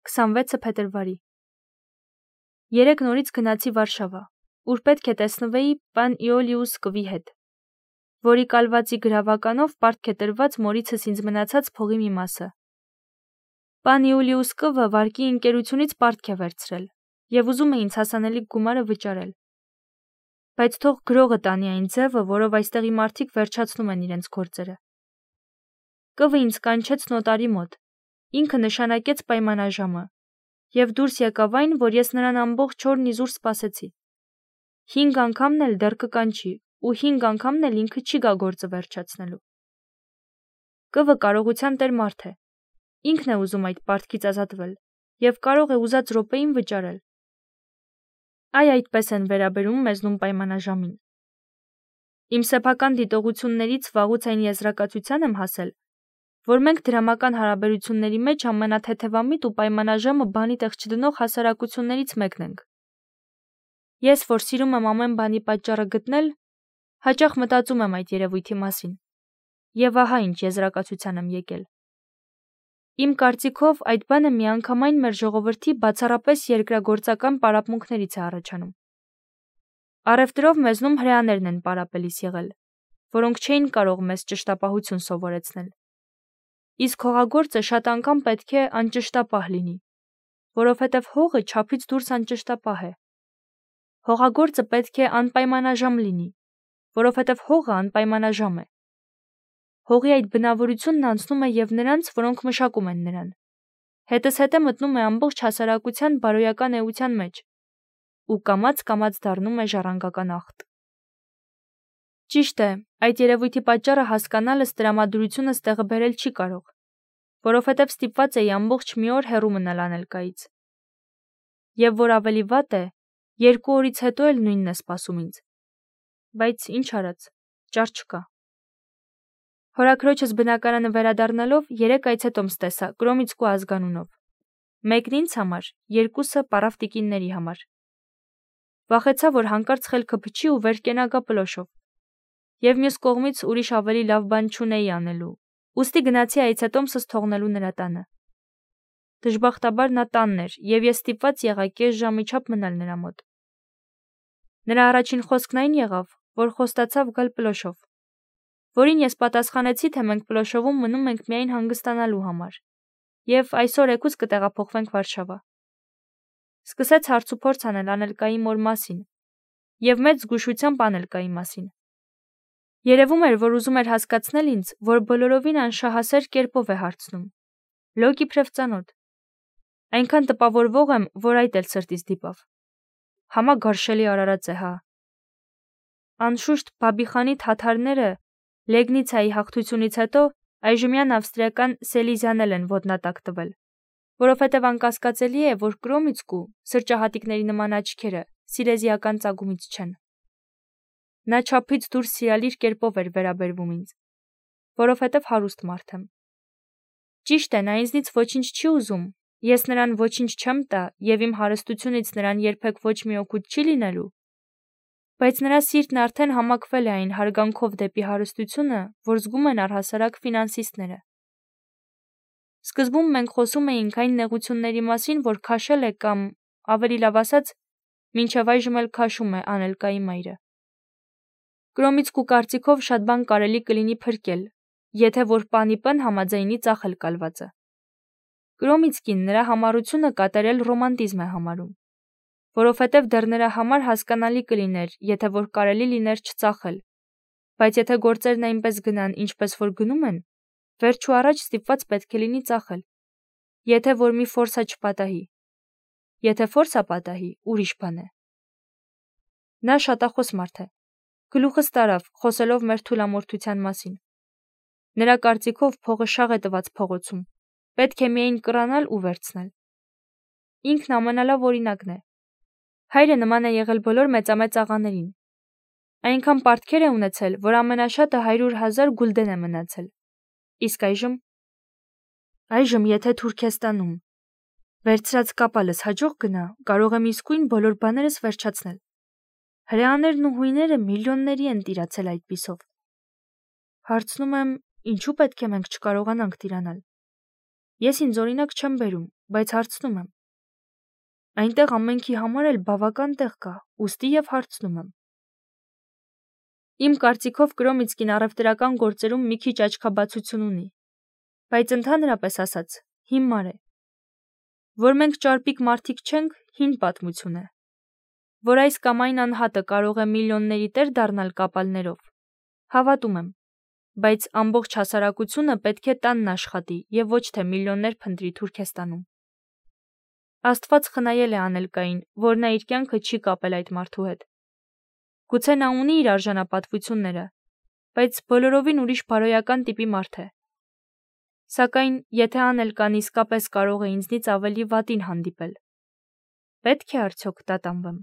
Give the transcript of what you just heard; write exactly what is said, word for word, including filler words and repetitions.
քսանվեցը փետրվարի։ Երեկ նորից գնացի Վարշավա, ուր պետք է տեսնվեի պան Իոլիուս կվի հետ, որի կալվածի գրավականով պարտք է տրված մորիցս ինձ մնացած փողի մի մասը։ Պան Իուլիուս կվը վարկի ընկերությունից պարտք է վերցրել և ուզում է ինձ հասանելիք գումարը վճարել։ Բայց թող գրողը տանի այն ձևը, որով այստեղի մարդիկ վերջացնում են իրենց գործերը։ Կվը ինձ կանչեց նոտարի մոտ, ինքը նշանակեց պայմանաժամը, և դուրս եկավ այն, որ ես նրան ամբողջ օրն իզուր սպասեցի։ Հինգ անգամն էլ դեռ կկանչի, ու հինգ անգամն էլ ինքը չի գա գործը վերջացնելու։ Կվը կարողության տեր մարդ է, ինքն է ուզում այդ պարտքից ազատվել, և կարող է ուզած րոպեին վճարել։ Այ այդպես են վերաբերում մեզնում պայմանաժամին։ Իմ սեփական դիտողություններից վաղուց այն եզրակացության եմ հասել, որ մենք դրամական հարաբերությունների մեջ ամենաթեթևամիտ ու պայմանաժամը բանի տեղ չդնող հասարակություններից մեկն ենք։ Ես, որ սիրում եմ ամեն բանի պատճառը գտնել, հաճախ մտածում եմ այդ երևույթի մասին, և ահա ինչ եզրակացության եմ եկել։ Իմ կարծիքով այդ բանը միանգամայն մեր ժողովրդի բացառապես երկրագործական պարապմունքներից է առաջանում։ Առևտրով մեզնում հրեաներն են պարապելիս եղել, որոնք չէին կարող մեզ ճշտապահություն սովորեցնել։ Իսկ հողագործը շատ անգամ պետք է անճշտապահ լինի, որովհետև հողը չափից դուրս անճշտապահ է։ Հողագործը պետք է անպայմանաժամ լինի, որովհետև հողը անպայմանաժամ է։ Հողի այդ բնավորությունն անցնում է և նրանց, որոնք մշակում են նրան։ Հետզհետե մտնում է ամբողջ հասարակության բարոյական էության մեջ ու կամաց-կամաց դառնում է ժառանգական ախտ։ Ճիշտ է, այդ երևույթի պատճառը հասկանալս տրամադրությունս տեղը բերել չի կարող, որովհետև ստիպված էի ամբողջ մի օր հեռու մնալ անելկայից։ Եվ որ ավելի վատ է, երկու օրից հետո էլ նույնն է սպասում ինձ։ Բայց ինչ արած, ճար չկա։ Հորաքրոջս բնակարանը վերադառնալով երեք այցետոմս տեսա Կրոմիցկու ազգանունով։ Մեկն ինձ համար, երկուսը պառավ տիկինների համար։ Վախեցա, որ հանկարծ խելքը փչի ու վեր կենա գա պլոշով։ Եվ մյուս կողմից ուրիշ ավելի լավ բան չունեի անելու, ուստի գնացի այցետոմսս թողնելու նրա տանը։ Դժբախտաբար նա տանն էր, և ես ստիպված եղա կես ժամի չափ մնալ նրա մոտ։ Նրա առաջին խոսքն այն եղավ, որ խոստացավ գալ պլոշով, որին ես պատասխանեցի, թե մենք պլոշովում մնում ենք միայն հանգստանալու համար, և այսօր էգուց կտեղափոխվենք Վարշավա։ Սկսեց հարցուփորձ անել անելկայի մոր մասին և մեծ զգուշությամբ անելկայի մասին։ Երևում էր, որ ուզում էր հասկացնել ինձ, որ բոլորովին անշահասեր կերպով է հարցնում։ Լոկ իբրև ծանոթ։ Այնքան տպավորվող եմ, որ այդ էլ սրտից դիպավ։ Համագարշելի արարած է, հա։ Անշուշտ Բաբիխանի թաթարները Լեգնիցայի հաղթությունից հետո այժմյան ավստրիական Սելիզիան են ոտնատակ տվել, որովհետև անկասկածելի է, որ Կրոմիցկու սրճահատիկների նման աչքերը սիլեզիական ծագումից չեն։ Նա չափից դուրս սիրալիր կերպով էր վերաբերվում ինձ, որովհետև հարուստ մարդ եմ։ Ճիշտ է, նա ինձնից ոչինչ չի ուզում, ես նրան ոչինչ չեմ տա և իմ հարստությունից նրան երբեք ոչ մի օգուտ չի լինելու, բայց նրա սիրտն արդեն համակվել է այն հարգանքով դեպի հարստությունը, որ զգում են առհասարակ ֆինանսիստները։ Սկզբում մենք խոսում էինք այն նեղությունների մասին, որ քաշել է կամ, ավելի լավ ասած, մինչև այժմ էլ քաշում է անելկայի մայրը։ Կրոմիցկու կարծիքով շատ բան կարելի կլինի փրկել, եթե որ պանի պն համաձայնի ծախել կալվածը։ Կրոմիցկին նրա համառությունը կատարել ռոմանտիզմ է համարում, որովհետև դեռ նրա համար հասկանալի կլիներ, եթե որ կարելի լիներ չծախել, բայց եթե գործերն այնպես գնան, ինչպես որ գնում են, վերջու առաջ ստիպված պետք է լինի ծախել, եթե որ մի ֆորսա չպատահի։ Եթե ֆորսա պատահի, ուրիշ բան է։ Նա շատախոս մարդ է, գլուխս տարավ, խոսելով մեր թուլամորթության մասին։ Նրա կարծիքով փողը շաղ է տված փողոցում, պետք է միայն կռանալ ու վերցնել։ Ինքն ամենալավ օրինակն է։ Հայրը նման է եղել բոլոր մեծամեծ աղաներին։ Այնքան պարտքեր է ունեցել, որ ամենաշատը հարյուր հազար գուլդեն է մնացել։ Իսկ այժմ։ Այժմ, եթե Թուրքեստանում վերցրած կապալս հաջող գնա, կարող եմ իսկույն բոլոր բաներս վերջացնել։ Հրեաներն ու հույները միլիոնների են տիրացել այդպիսով։ Հարցնում եմ, ինչու պետք է մենք չկարողանանք տիրանալ։ Ես ինձ օրինակ չեմ բերում, բայց հարցնում եմ։ Այնտեղ ամենքի համար էլ բավական տեղ կա, ուստի եւ հարցնում եմ։ Իմ կարծիքով Կրոմիցկին առևտրական գործերում մի քիչ աչքաբացություն ունի, բայց ընդհանրապես ասած, հիմար է։ Որ մենք ճարպիկ մարդիկ չենք, հին պատմություն է։ Որ այս կամ այն անհատը կարող է միլիոնների տեր դառնալ կապալներով, հավատում եմ, բայց ամբողջ հասարակությունը պետք է տանն աշխատի եւ ոչ թե միլիոններ փնտրի Թուրքեստանում։ Աստված խնայել է Անելկային, որ նա իր կյանքը չի կապել այդ մարդու հետ։ Գուցե նա ունի իր արժանապատվությունները, բայց բոլորովին ուրիշ բարոյական տիպի մարդ է։ Սակայն, եթե Անելկան իսկապես կարող է ինձնից ավելի վատին հանդիպել, պետք է արդյոք տատանվեմ։